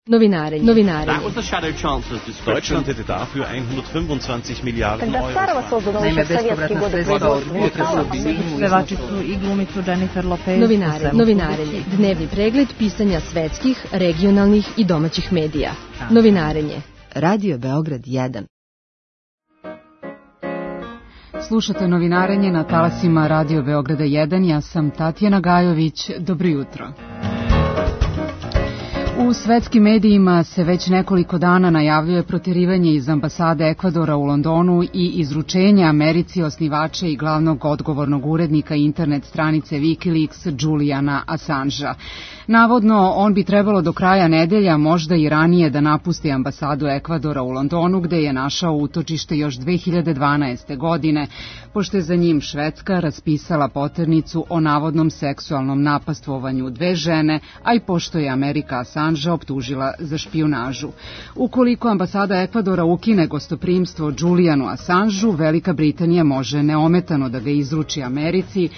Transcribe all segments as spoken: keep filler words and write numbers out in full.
Novinarenje. Novinarenje. Deutschland hätte dafür hundertfünfundzwanzig Milliarden Euro. Naime, bespovratna sredstva od budžeta Srbije. Pevačicu i glumicu Jennifer Lopez. Novinarenje. Novinarenje. Dnevni pregled pisanja svetskih, regionalnih i domaćih medija. Novinarenje. Radio Beograd jedan. Slušate Novinarenje na talasima Radio Beograda jedan. Ja sam Tatjana Gajović. Dobro jutro. U svetskim medijima se već nekoliko dana najavljuje proterivanje iz ambasade Ekvadora u Londonu i izručenje Americi osnivača i glavnog odgovornog urednika internet stranice Wikileaks Juliana Assangea. Navodno, on bi trebalo do kraja nedelja, možda i ranije, da napusti ambasadu Ekvadora u Londonu, gde je našao utočište još dve hiljade dvanaeste. godine, pošto je za njim Švedska raspisala poternicu o navodnom seksualnom napastvovanju dve žene, a i pošto je Amerika Assangea optužila za špijunažu. Ukoliko ambasada Ekvadora ukine gostoprimstvo Julianu Assangeu, Velika Britanija može neometano da ga izruči Americi,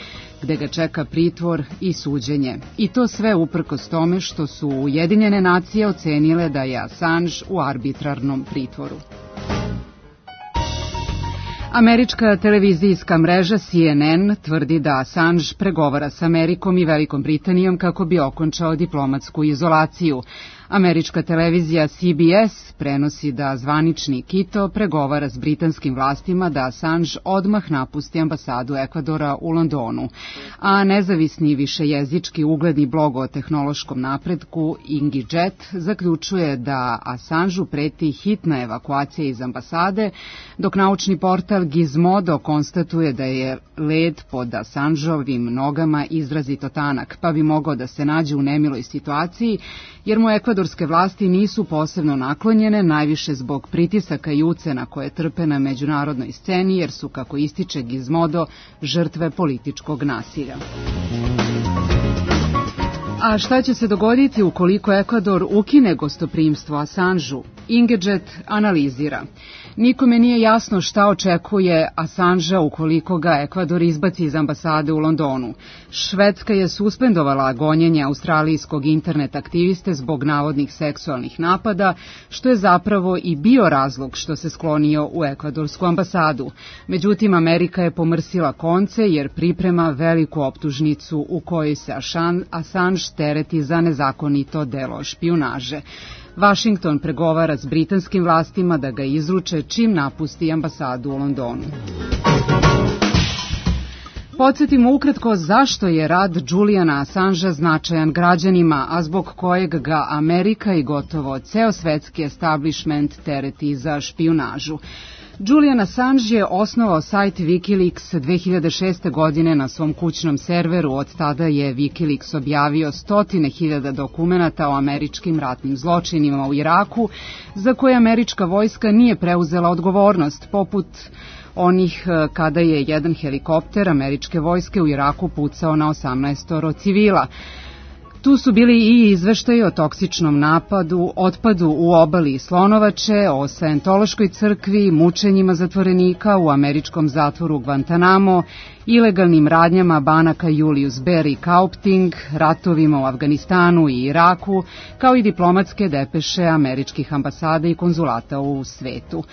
gde ga čeka pritvor i suđenje. I to sve uprkos tome što su Ujedinjene nacije ocenile da je Assange u arbitrarnom pritvoru. Američka televizijska mreža C N N tvrdi da Assange pregovara s Amerikom i Velikom Britanijom kako bi okončao diplomatsku izolaciju. Američka televizija C B S prenosi da zvanični Quito pregovara s britanskim vlastima da Assange odmah napusti ambasadu Ekvadora u Londonu, a nezavisni višejezički ugledni blog o tehnološkom napretku Ingijet zaključuje da Assangeu preti hitna evakuacija iz ambasade, dok naučni portal Gizmodo konstatuje da je led pod Assangeovim nogama izrazito tanak, pa bi mogao da se nađe u nemiloj situaciji, jer mu ekvadorske vlasti nisu posebno naklonjene, najviše zbog pritisaka i ucena koje trpe na međunarodnoj sceni, jer su, kako ističe Gizmodo, žrtve političkog nasilja. A šta će se dogoditi ukoliko Ekvador ukine gostoprimstvo Assangeu? Ingijet analizira. Nikome nije jasno šta očekuje Assangea ukoliko ga Ekvador izbaci iz ambasade u Londonu. Švedska je suspendovala gonjenje australijskog internet aktiviste zbog navodnih seksualnih napada, što je zapravo i bio razlog što se sklonio u ekvadorsku ambasadu. Međutim, Amerika je pomrsila konce jer priprema veliku optužnicu u kojoj se Assange tereti za nezakonito delo špijunaže. Washington pregovara s britanskim vlastima da ga izruče čim napusti ambasadu u Londonu. Podsjetimo ukratko zašto je rad Juliana Assangea značajan građanima, a zbog kojeg ga Amerika i gotovo ceo svetski establishment tereti za špijunažu. Julian Assange je osnovao sajt Wikileaks dve hiljade šeste. godine na svom kućnom serveru. Od tada je Wikileaks objavio stotine hiljada dokumenata o američkim ratnim zločinima u Iraku, za koje američka vojska nije preuzela odgovornost, poput onih kada je jedan helikopter američke vojske u Iraku pucao na osamnaestoro civila. Tu su bili i izveštaji o toksičnom napadu, otpadu u obali Slonovače, o Sajentološkoj crkvi, mučenjima zatvorenika u američkom zatvoru Guantanamo, ilegalnim radnjama banaka Julius Baer i Kaupting, ratovima u Afganistanu i Iraku, kao i diplomatske depeše američkih ambasada i konzulata u svetu.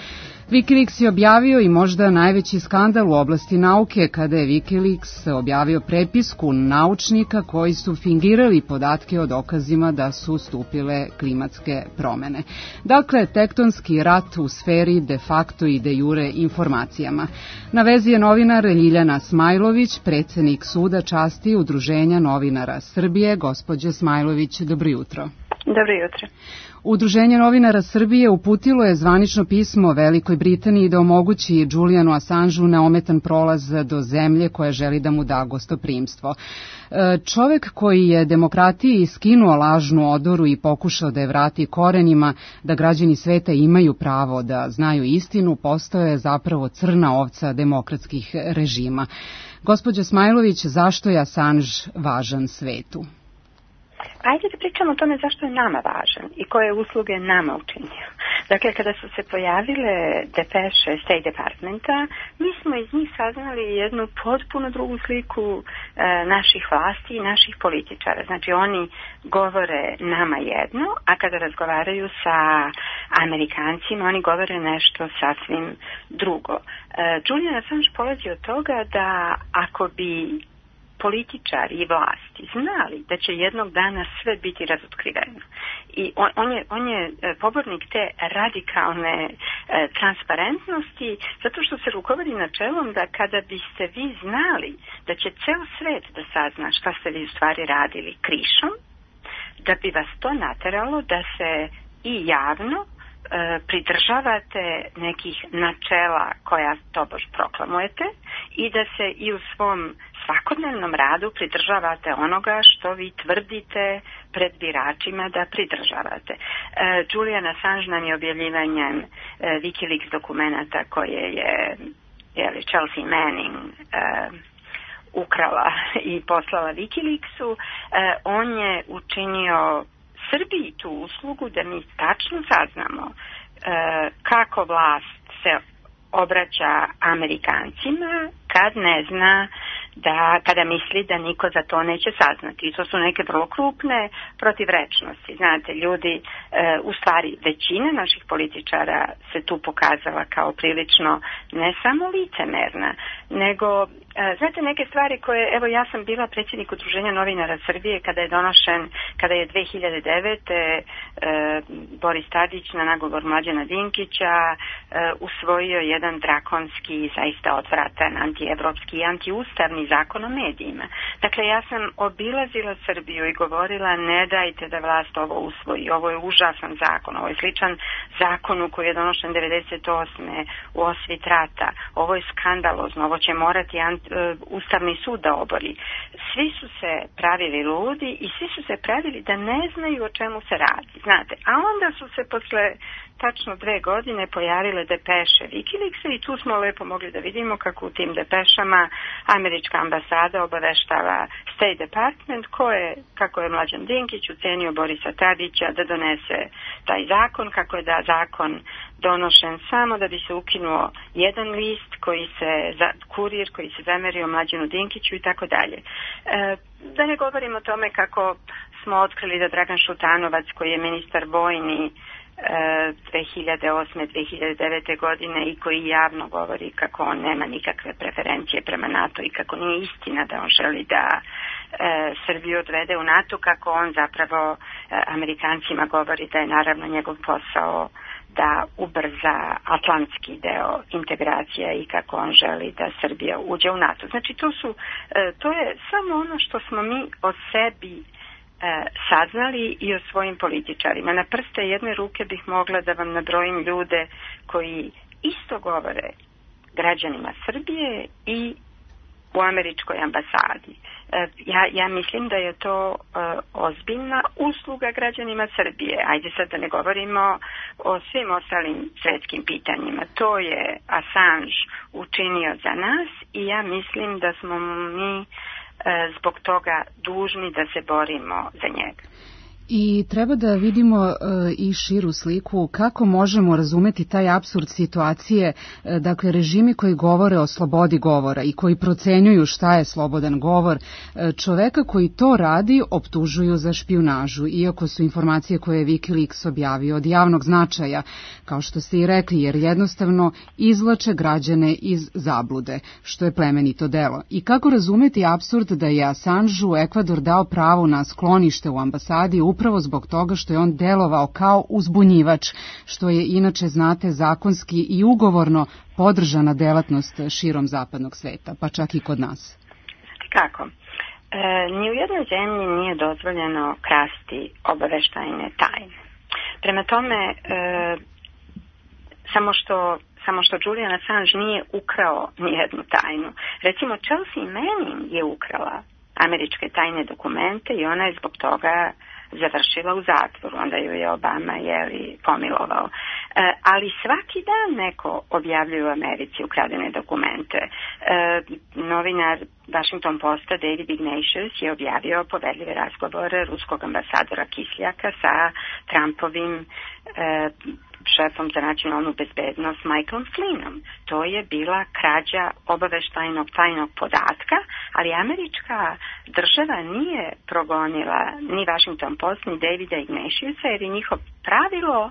Wikileaks je objavio i možda najveći skandal u oblasti nauke kada je Wikileaks objavio prepisku naučnika koji su fingirali podatke o dokazima da su stupile klimatske promene. Dakle, tektonski rat u sferi de facto i de jure informacijama. Na vezi je novinar Ljiljana Smajlović, predsednik Suda časti Udruženja novinara Srbije. Gospođe Smajlović, dobro jutro. Dobro jutro. Udruženje novinara Srbije uputilo je zvanično pismo Velikoj Britaniji da omogući Julianu Assangeu neometan prolaz do zemlje koja želi da mu da gostoprimstvo. Čovek koji je demokratiji skinuo lažnu odoru i pokušao da je vrati korenima, da građani sveta imaju pravo da znaju istinu, postao je zapravo crna ovca demokratskih režima. Gospođa Smajlović, zašto je Assange važan svetu? Ajde da pričamo o tome zašto je nama važan i koje usluge nama učinio. Dakle, kada su se pojavile depeše State Departmenta, mi smo iz njih saznali jednu potpuno drugu sliku e, naših vlasti i naših političara. Znači, oni govore nama jedno, a kada razgovaraju sa Amerikancima, oni govore nešto sasvim drugo. E, Julian Assange polazi od toga da ako bi političari i vlasti znali da će jednog dana sve biti razotkriveno. I on, on, je, on je pobornik te radikalne e, transparentnosti, zato što se rukovodi načelom da kada biste vi znali da će ceo svet da sazna šta ste vi u stvari radili krišom, da bi vas to nateralo da se i javno pridržavate nekih načela koja tobož proklamujete i da se i u svom svakodnevnom radu pridržavate onoga što vi tvrdite pred biračima da pridržavate. Julian Assange nam je objavljivanjem Wikileaks dokumenata koje je, je Chelsea Manning ukrala i poslala Wikileaksu, on je učinio Srbiji tu uslugu da mi tačno saznamo e, kako vlast se obraća Amerikancima kad ne zna da, kada misli da niko za to neće saznati. I to su neke vrlo krupne protivrečnosti. Znate, ljudi, e, u stvari većina naših političara se tu pokazala kao prilično ne samo licemerna, nego, e, znate, neke stvari koje, evo ja sam bila predsjednik Udruženja novinara Srbije kada je donošen, kada je dve hiljade devete. E, Boris Tadić na nagovor Mlađana Dinkića e, usvojio jedan drakonski, zaista odvratan, antievropski i antiustavni zakon o medijima. Dakle, ja sam obilazila Srbiju i govorila ne dajte da vlast ovo usvoji, ovo je užasan zakon, ovo je sličan zakonu koji je donošen devedeset osme u osvit rata, ovo je skandalozno, ovo će morati ant, uh, Ustavni sud da obori. Svi su se pravili ludi i svi su se pravili da ne znaju o čemu se radi, znate, a onda su se posle tačno dve godine pojavile depeše Wikileaksa i tu smo lepo mogli da vidimo kako u tim depešama američka ambasada obaveštava State Department ko je, kako je Mlađan Dinkić ucenio Borisa Tadića da donese taj zakon, kako je da zakon donošen samo da bi se ukinuo jedan list koji se, za, kurir koji se zamerio Mlađanu Dinkiću i tako dalje. Da ne govorim o tome kako smo otkrili da Dragan Šutanovac koji je ministar vojni dve hiljade osme. dve hiljade devete. godine i koji javno govori kako on nema nikakve preferencije prema NATO i kako nije istina da on želi da e, Srbiju odvede u NATO, kako on zapravo e, Amerikancima govori da je naravno njegov posao da ubrza atlantski deo integracija i kako on želi da Srbija uđe u NATO. Znači to su, e, to je samo ono što smo mi o sebi saznali i o svojim političarima. Na prste jedne ruke bih mogla da vam nabrojim ljude koji isto govore građanima Srbije i u američkoj ambasadi. Ja, ja mislim da je to uh, ozbiljna usluga građanima Srbije. Ajde sad da ne govorimo o svim ostalim svetskim pitanjima. To je Assange učinio za nas i ja mislim da smo mi zbog toga dužni da se borimo za njega. I treba da vidimo e, i širu sliku kako možemo razumeti taj apsurd situacije, e, dakle režimi koji govore o slobodi govora i koji procenjuju šta je slobodan govor, e, čoveka koji to radi optužuju za špijunažu, iako su informacije koje je Wikileaks objavio od javnog značaja, kao što ste i rekli, jer jednostavno izvlače građane iz zablude, što je plemenito delo. I kako razumeti apsurd da je Assangeu Ekvador dao pravo na sklonište u ambasadi upravo zbog toga što je on delovao kao uzbunjivač, što je inače, znate, zakonski i ugovorno podržana delatnost širom zapadnog sveta, pa čak i kod nas. Kako? E, ni u jednoj zemlji nije dozvoljeno krasti obaveštajne tajne. Prema tome, e, samo što samo što Julian Assange nije ukrao nijednu tajnu. Recimo, Chelsea Manning je ukrala američke tajne dokumente i ona je zbog toga završila u zatvoru, onda ju je Obama jeli, pomilovao. E, ali svaki dan neko objavljuje u Americi ukradene dokumente. E, novinar Washington Posta David Ignatius je objavio povedljive razgovore ruskog ambasadora Kisljaka sa Trumpovim e, šefom za nacionalnu bezbednost Michaelom Flynnom. To je bila krađa obaveštajnog tajnog podatka, ali američka država nije progonila ni Washington Post, ni Davida Ignatiusa, jer je njihov pravilo,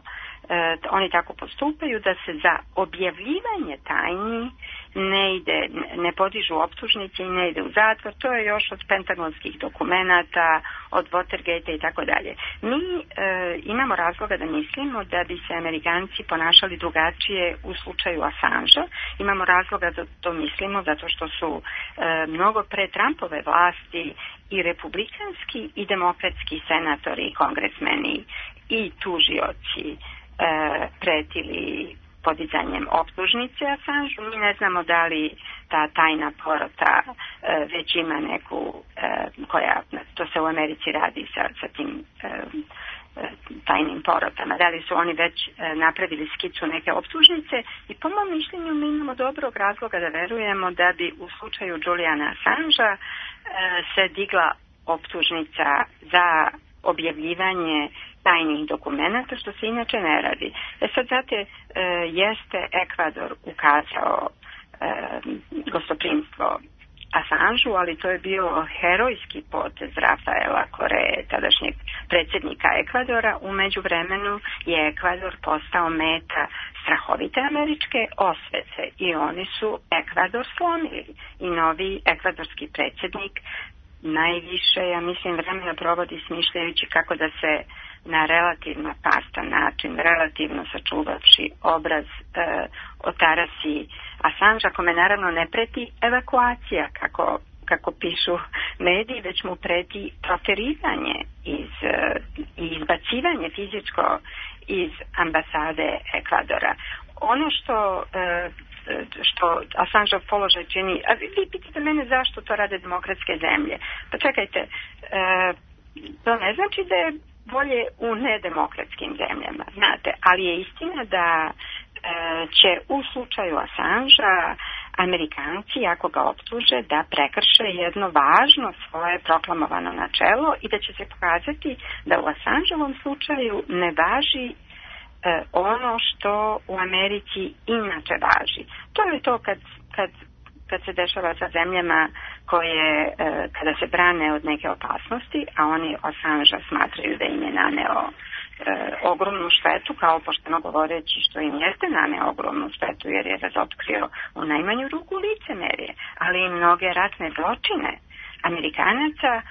e, oni tako postupaju, da se za objavljivanje tajni ne ide, ne podižu optužnice i ne ide u zatvor. To je još od pentagonskih dokumenata, od Watergate i tako dalje. Mi e, imamo razloga da mislimo da bi se Amerikanci ponašali drugačije u slučaju Assangea. Imamo razloga da to mislimo zato što su e, mnogo pre Trumpove vlasti i republikanski i demokratski senatori i kongresmeni i tužioci e, pretili podizanjem optužnice Assangeu. Mi ne znamo da li ta tajna porota e, već ima neku, e, koja, to se u Americi radi sa, sa tim e, tajnim porotama, da li su oni već e, napravili skicu neke optužnice, i po mom mišljenju mi imamo dobrog razloga da verujemo da bi u slučaju Juliana Assangea e, se digla optužnica za objavljivanje tajnih dokumenta, što se inače ne radi. E sad, znate, e, jeste Ekvador ukazao e, gostoprimstvo Assangeu, ali to je bio herojski potez Rafaela Coree, tadašnjeg predsjednika Ekvadora. U međuvremenu je Ekvador postao meta strahovite američke osvete i oni su Ekvador slomili. I novi ekvadorski predsjednik najviše, ja mislim, vremena provodi smišljajući kako da se na relativno pastan način, relativno sačuvavši obraz e, otarasi Assangea, kome naravno ne preti evakuacija, kako, kako pišu mediji, već mu preti proteriranje iz, e, i izbacivanje fizičko iz ambasade Ekvadora. Ono što e, što Assangeov položaj čini, a vi, vi pitate mene zašto to rade demokratske zemlje. Pa čekajte, e, to ne znači da je bolje u nedemokratskim zemljama, znate, ali je istina da e, će u slučaju Assangea Amerikanci, ako ga optuže, da prekrše jedno važno svoje proklamovano načelo i da će se pokazati da u Assangeovom slučaju ne važi e, ono što u Americi inače važi. To je to kad, kad, kad se dešava sa zemljama koje, e, kada se brane od neke opasnosti, a oni Assangea smatraju da im je naneo e, ogromnu štetu, kao pošteno govoreći što im jeste naneo ogromnu štetu, jer je razotkrio u najmanju ruku licemerje, ali i mnoge ratne zločine Amerikanaca. E,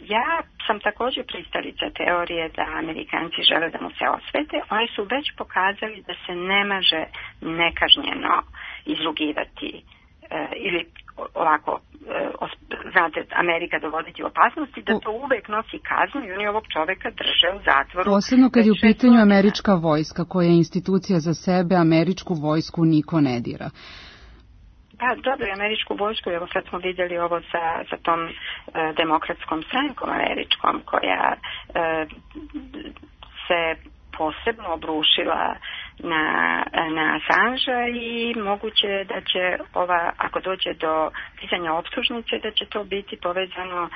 ja sam također pristalica teorije da Amerikanci žele da mu se osvete. Oni su već pokazali da se ne može nekažnjeno izrugivati e, ili ovako, znate, Amerika dovoditi u opasnosti, da to uvek nosi kaznu i oni ovog čoveka drže u zatvoru. Posebno kad je u pitanju američka vojska, koja je institucija za sebe, američku vojsku niko ne dira. Pa dobro, američku vojsku, evo sad smo vidjeli ovo sa, sa tom e, demokratskom strankom američkom, koja e, se posebno obrušila na, na Assangea i moguće da će ova, ako dođe do pisanja optužnice, da će to biti povezano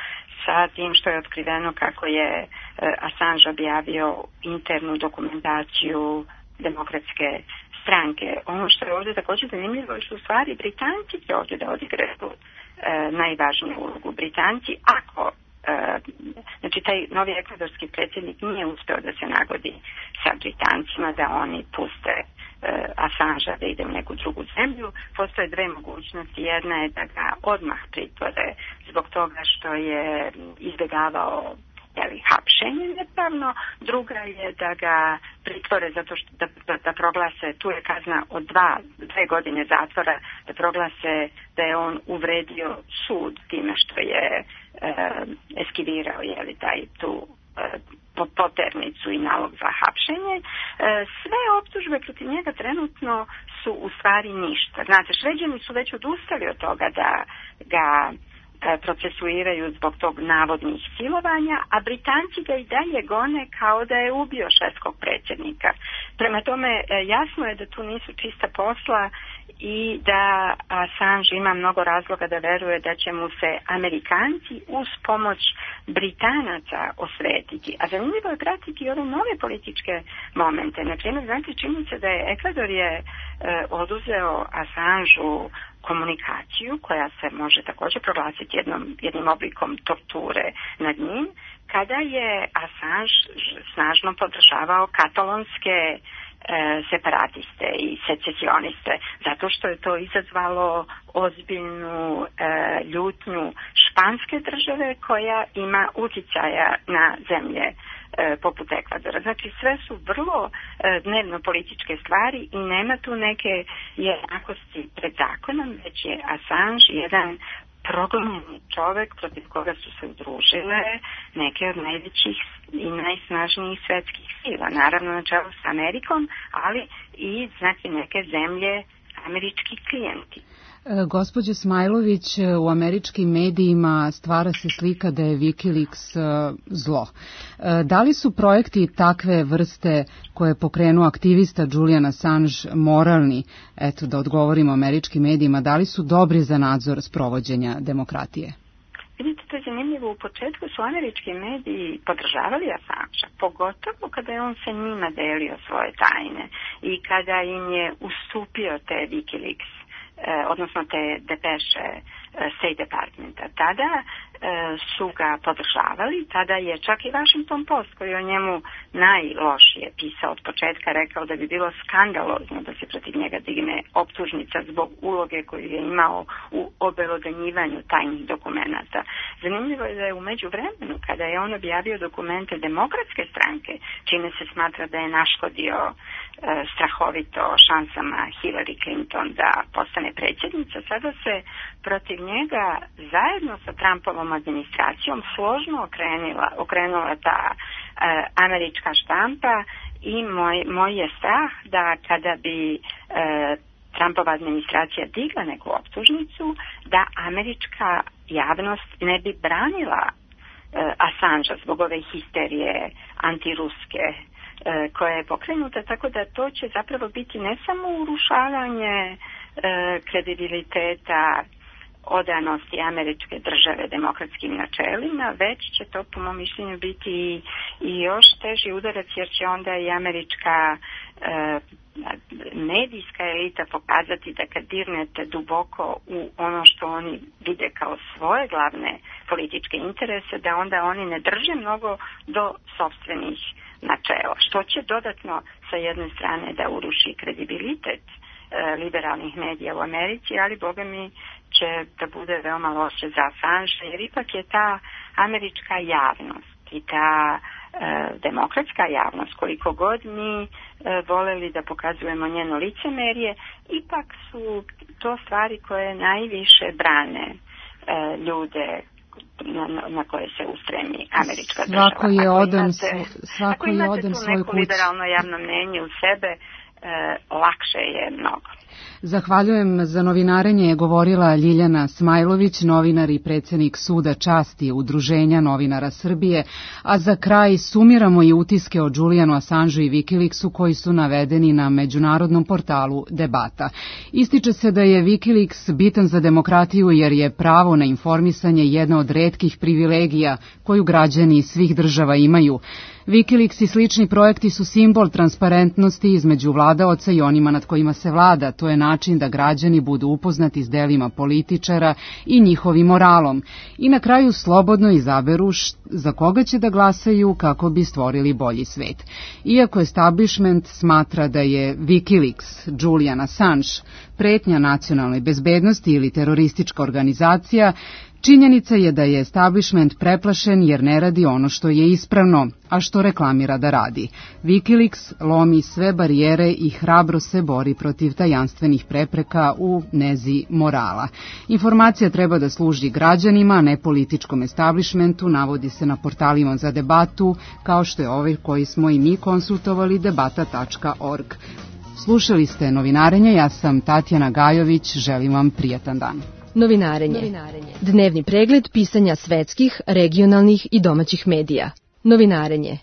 sa tim što je otkriveno kako je Assange objavio internu dokumentaciju demokratske stranke. Ono što je ovdje također zanimljivo je što u stvari Britanci će ovdje da odigraju e, najvažniju ulogu. Britanci, ako e, znači taj novi ekvadorski predsjednik nije uspeo da se nagodi sa Britancima da oni puste e, Assangea da ide u neku drugu zemlju, postoje dve mogućnosti. Jedna je da ga odmah pritvore zbog toga što je izbjegavao jeli, hapšenje nepravno, druga je da ga pritvore zato što da, da, da proglase, tu je kazna od dva, dve godine zatvora, da proglase da je on uvredio sud time što je e, eskivirao jeli, taj, tu e, poternicu i nalog za hapšenje. E, sve optužbe protiv njega trenutno su u stvari ništa. Znate, Šveđani su već odustali od toga da ga procesuiraju zbog tog navodnih silovanja, a Britanci ga i dalje gone kao da je ubio švedskog predsjednika. Prema tome, jasno je da tu nisu čista posla i da Assange ima mnogo razloga da veruje da će mu se Amerikanci uz pomoć Britanaca osvetiti. A zanimljivo je pratiti ove nove političke momente. Na primjer, znate, čini se da je Ekvador je e, oduzeo Assangeu komunikaciju koja se može također proglasiti jednom, jednim oblikom torture nad njim, kada je Assange snažno podržavao katalonske e, separatiste i secesioniste, zato što je to izazvalo ozbiljnu e, ljutnju španske države koja ima uticaja na zemlje e, poput Ekvadora. Znači sve su vrlo e, dnevno političke stvari i nema tu neke jednakosti pred zakonom, već je Assange jedan progonjeni čovek protiv koga su se udružile neke od najvećih i najsnažnijih svetskih sila, naravno na čelu s Amerikom, ali i znači neke zemlje američki klijenti. Gospođo Smajlović, u američkim medijima stvara se slika da je Wikileaks zlo. Da li su projekti takve vrste koje pokrenu aktivista Julian Assange moralni, eto da odgovorimo američkim medijima, da li su dobri za nadzor sprovođenja demokratije? Vidite, to je zanimljivo. U početku su američki mediji podržavali Assangea, pogotovo kada je on sa njima delio svoje tajne i kada im je ustupio te Wikileaks, odnosno te depeše State Departmenta. Tada e, su ga podržavali, tada je čak i Washington Post, koji o njemu najlošije pisao od početka, rekao da bi bilo skandalozno da se protiv njega digne optužnica zbog uloge koju je imao u obelodanjivanju tajnih dokumenata. Zanimljivo je da je u međuvremenu, kada je on objavio dokumente Demokratske stranke, čime se smatra da je naškodio e, strahovito šansama Hillary Clinton da postane predsjednica, sada se protiv njega zajedno sa Trumpovom administracijom složno okrenula, okrenula ta e, američka štampa i moj, moj je strah da kada bi e, Trumpova administracija digla neku optužnicu, da američka javnost ne bi branila e, Assangea zbog ove histerije antiruske e, koja je pokrenuta, tako da to će zapravo biti ne samo urušavanje e, kredibiliteta odanosti američke države demokratskim načelima, već će to po mom mišljenju biti i, i još teži udarac, jer će onda i američka e, medijska elita pokazati da kad dirnete duboko u ono što oni vide kao svoje glavne političke interese, da onda oni ne drže mnogo do sopstvenih načela, što će dodatno sa jedne strane da uruši kredibilitet e, liberalnih medija u Americi, ali boga mi će da bude veoma loše za Assange, jer ipak je ta američka javnost i ta e, demokratska javnost, koliko god mi e, voleli da pokazujemo njeno licemerje, ipak su to stvari koje najviše brane e, ljude na, na koje se ustremi američka država. Svako je odan, svako ako imate je odan tu svoj neko kući. liberalno javno mnenje u sebe, e, lakše je mnogo. Zahvaljujem. Za novinarenje je govorila Ljiljana Smajlović, novinar i predsjednik Suda časti Udruženja novinara Srbije, a za kraj sumiramo i utiske o Julianu Assangeu i Wikileaksu koji su navedeni na međunarodnom portalu Debata. Ističe se da je Wikileaks bitan za demokratiju jer je pravo na informisanje jedna od retkih privilegija koju građani svih država imaju. Wikileaks i slični projekti su simbol transparentnosti između vladaoca i onima nad kojima se vlada. To je način da građani budu upoznati s delima političara i njihovim moralom. I na kraju slobodno izaberu za koga će da glasaju kako bi stvorili bolji svet. Iako establishment smatra da je Wikileaks, Julian Assange, pretnja nacionalnoj bezbednosti ili teroristička organizacija, činjenica je da je establishment preplašen jer ne radi ono što je ispravno, a što reklamira da radi. Wikileaks lomi sve barijere i hrabro se bori protiv tajanstvenih prepreka u nezi morala. Informacija treba da služi građanima, a ne političkom establishmentu, navodi se na portalima za debatu, kao što je ovaj koji smo i mi konsultovali, debata tačka org. Slušali ste novinarenje, ja sam Tatjana Gajović, želim vam prijatan dan. Novinarenje. Novinarenje. Dnevni pregled pisanja svetskih, regionalnih i domaćih medija. Novinarenje.